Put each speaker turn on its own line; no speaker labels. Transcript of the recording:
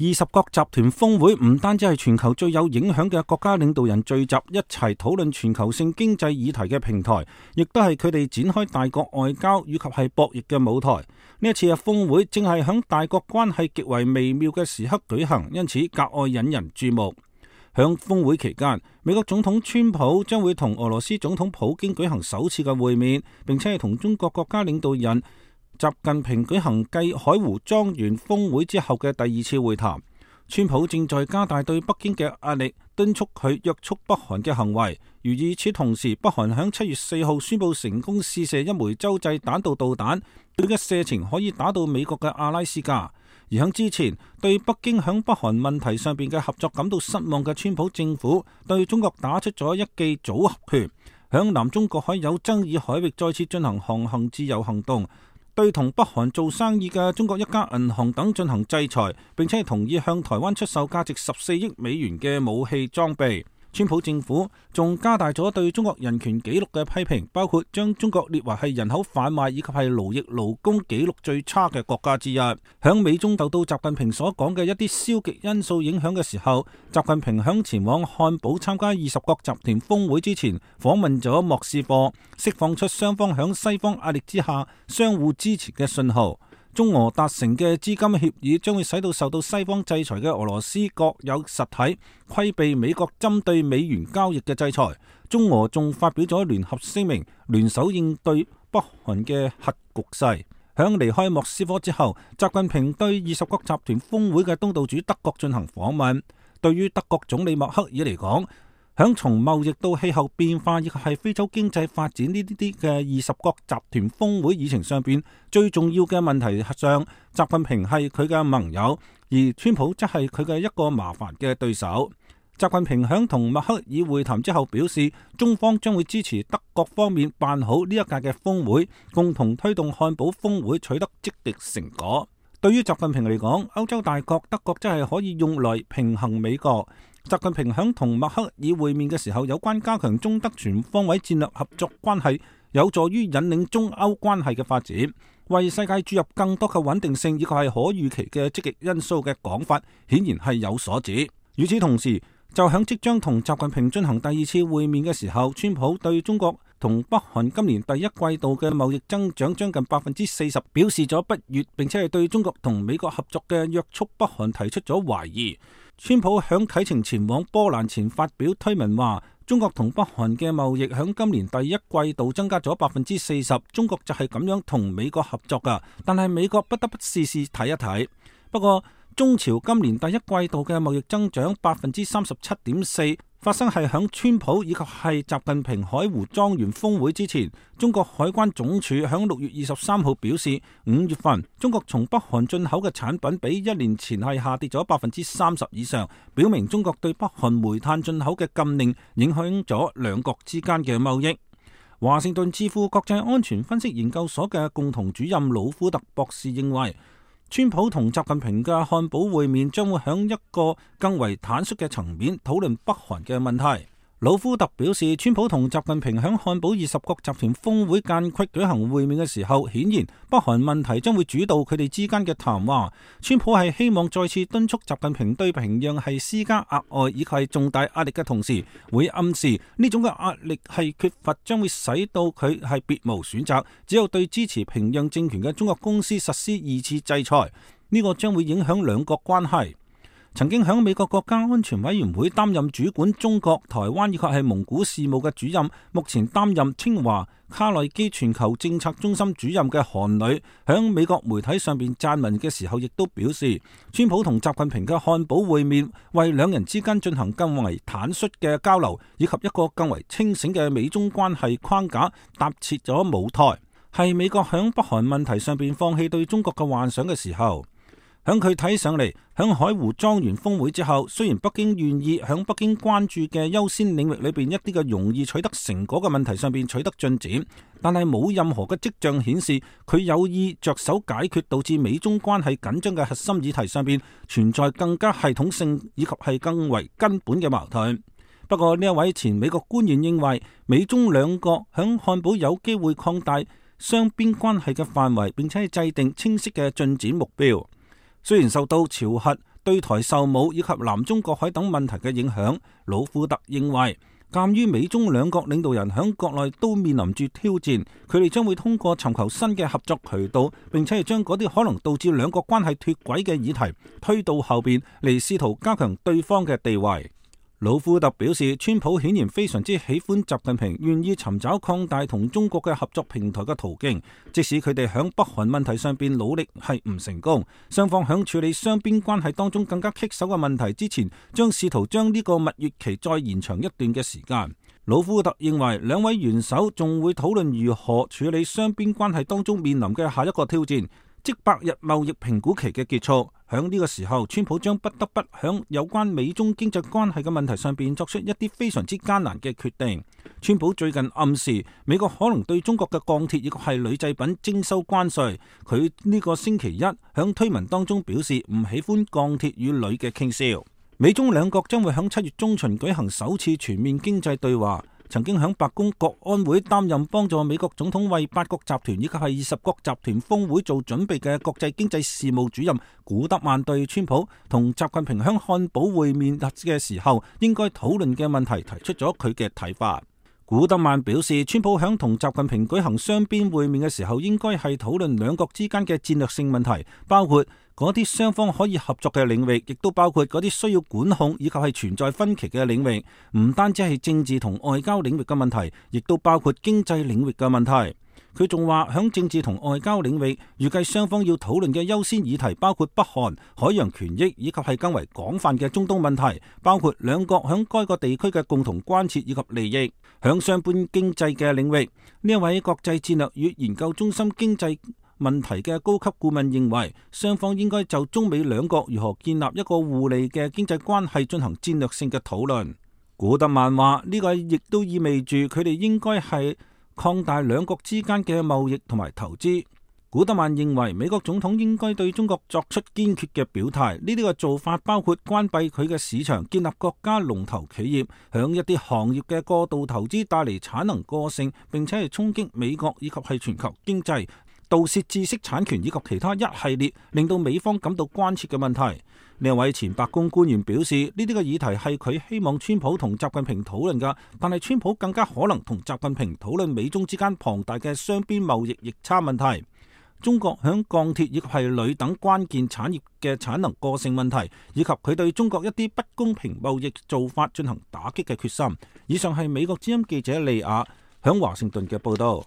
20國集團峰會唔單止係全球最有影響嘅國家領導人聚集一齊討論全球性經濟議題嘅平台，亦都係佢哋展開大國外交以及係博弈嘅舞台。呢一次嘅峰會正係響大國關係極為微妙嘅時刻舉行，因此格外引人注目。響峰會期間，美國總統川普將會同俄羅斯總統普京舉行首次嘅會面，並且係同中國國家領導人習近平舉行繼海湖莊園峰會之後嘅第二次會談。川普正在加大對北京嘅壓力，敦促佢約束北韓嘅行為。而與此同時，北韓響7月4號宣布成功試射一枚洲際彈道導彈，佢嘅射程可以打到美國嘅阿拉斯加。而響之前對北京響北韓問題上邊嘅合作感到失望嘅川普政府，對中國打出咗一記組合拳，響南中國海有爭議海域再次進行航行自由行動，對同北韓做生意嘅中國一家銀行等進行制裁，並且同意向台灣出售價值14億美元嘅武器裝備。川普政府仲加大咗對中國人權紀錄嘅批評，包括將中國列為係人口販賣以及係勞役勞工紀錄最差嘅國家之一。響美中受到習近平所講嘅一啲消極因素影響嘅時候，習近平響前往漢堡參加20國集團峰會之前，訪問咗莫斯科，釋放出雙方響西方壓力之下相互支持嘅信號。中俄達成嘅資金協議將會使到受到西方制裁嘅俄羅斯國有實體規避美國針對美元交易嘅制裁。中俄仲發表咗聯合聲明，聯手應對北韓嘅核局勢。響離開莫斯科之後，習近平對20國集團峰會嘅東道主德國進行訪問。對於德國總理默克爾嚟講，響從貿易到氣候變化以及係非洲經濟發展呢啲嘅20國集團峰會議程上邊最重要嘅問題上，習近平係佢嘅盟友，而川普則係佢嘅一個麻煩嘅對手。習近平響同默克爾會談之後表示，中方將會支持德國方面辦好呢一屆嘅峰會，共同推動漢堡峰會取得積極成果。對於習近平嚟講，歐洲大國德國真係可以用來平衡美國。習近平響同默克爾會面嘅時候，有關加強中德全方位戰略合作關係，有助於引領中歐關係嘅發展，為世界注入更多嘅穩定性以及係可預期嘅積極因素嘅講法，顯然係有所指。與此同時，就響即將同習近平進行第二次會面嘅時候，川普對中國同北韓今年第一季度嘅貿易增長將近40%表示咗不悅，並且係對中國同美國合作嘅約束北韓提出咗懷疑。川普響啟程前往波蘭前發表推文話，中國同北韓嘅貿易響今年第一季度增加咗40%，中國就係咁樣同美國合作噶，但係美國不得不試試睇一睇。不過中朝今年第一季度嘅貿易增長37.4%，發生係響川普以及係習近平海湖莊園峰會之前。中國海關總署響6月23號表示，5月份中國從北韓進口嘅產品比1年前係下跌咗30%以上，表明中國對北韓煤炭進口嘅禁令影響咗兩國之間嘅貿易。華盛頓智庫國際安全分析研究所嘅共同主任魯夫特博士認為，川普同習近平嘅漢堡會面將會響一個更為坦率嘅層面討論北韓嘅問題。魯夫特表示，川普同習近平響漢堡20國集團峰會間隙舉行會面嘅時候，顯然北韓問題將會主導佢哋之間嘅談話。川普係希望再次敦促習近平對平壤係施加額外以及係重大壓力嘅同時，會暗示呢種嘅壓力係缺乏，將會使到佢係別無選擇，只有對支持平壤政權嘅中國公司實施2次制裁。呢個將會影響兩國關係。曾經響美國國家安全委員會擔任主管中國、台灣以及係蒙古事務嘅主任，目前擔任清華卡內基全球政策中心主任嘅韓磊，響美國媒體上邊撰文嘅時候，亦都表示，川普同習近平嘅漢堡會面，為兩人之間進行更為坦率嘅交流，以及一個更為清醒嘅美中關係框架搭設咗舞台，係美國響北韓問題上邊放棄對中國嘅幻想嘅時候。響佢睇上嚟，響海湖莊園峰會之後，雖然北京願意響北京關注嘅優先領域裏邊一啲嘅容易取得成果嘅問題上邊取得進展，但係冇任何嘅跡象顯示佢有意着手解決導致美中關係緊張嘅核心議題上邊存在更加系統性以及係更為根本嘅矛盾。不過呢一位前美國官員認為，美中兩國響漢堡有機會擴大雙邊關係嘅範圍，並且係制定清晰嘅進展目標。雖然受到朝核對台售武以及南中國海等問題嘅影響。魯庫特認為，鑒於美中兩國領導人喺國內都面臨住挑戰，佢哋將會通過尋求新嘅合作渠道，並且係將嗰啲可能導致兩國關係脫軌嘅議題推到後邊嚟，試圖加強對方嘅地位。魯庫特表示，川普顯然非常之喜歡習近平，願意尋找擴大同中國嘅合作平台嘅途徑，即使佢哋響北韓問題上邊努力係唔成功，雙方響處理雙邊關係當中更加棘手嘅問題之前，將試圖將呢個蜜月期再延長一段嘅時間。魯庫特認為，兩位元首仲會討論如何處理雙邊關係當中面臨嘅下一個挑戰，即百日貿易評估期嘅結束。響呢個時候，川普將不得不響有關美中經濟關係嘅問題上邊作出一啲非常之艱難嘅決定。川普最近暗示美國可能對中國嘅鋼鐵亦係鋁製品徵收關稅。佢呢個星期一響推文當中表示唔喜歡鋼鐵與鋁嘅傾銷。美中兩國將會響7月中旬舉行首次全面經濟對話。曾經響白宮國安會擔任幫助美國總統為8國集團以及係20國集團峰會做準備嘅國際經濟事務主任古德曼對川普同習近平響漢堡會面嘅時候應該討論嘅問題提出咗佢嘅睇法。古德曼表示，川普響同習近平舉行雙邊會面嘅時候，應該係討論兩國之間嘅戰略性問題，包括嗰啲雙方可以合作嘅領域，亦都包括嗰啲需要管控以及係存在分歧嘅領域。唔單止係政治同外交領域嘅問題，亦都包括經濟領域嘅問題。佢仲話，響政治同外交領域，預計雙方要討論嘅優先議題包括北韓、海洋權益以及係更為廣泛嘅中東問題，包括兩國響該個地區嘅共同關切以及利益。響雙邊經濟嘅領域，呢一位國際戰略與研究中心經濟問題嘅高級顧問認為，雙方應該就中美兩國如何建立一個互利嘅經濟關係進行戰略性嘅討論。古特曼話，呢個亦都意味住佢哋應該係擴大兩國之間嘅貿易同埋投資。古特曼認為，美國總統應該對中國作出堅決嘅表態。呢啲嘅做法包括關閉佢嘅市場，建立國家龍頭企業，向一啲行業嘅過度投資帶嚟產能過剩，並且係衝擊美國以及係全球經濟，盜竊知識產權以及其他一系列令到美方感到關切嘅問題。呢位前白宮官員表示，呢啲嘅議題係佢希望川普同習近平討論㗎，但係川普更加可能同習近平討論美中之間龐大嘅雙邊貿易逆差問題，中國響鋼鐵以及係鋁等關鍵產業嘅產能過剩問題，以及佢對中國一啲不公平貿易做法進行打擊嘅決心。以上係美國之音記者利亞響華盛頓嘅報道。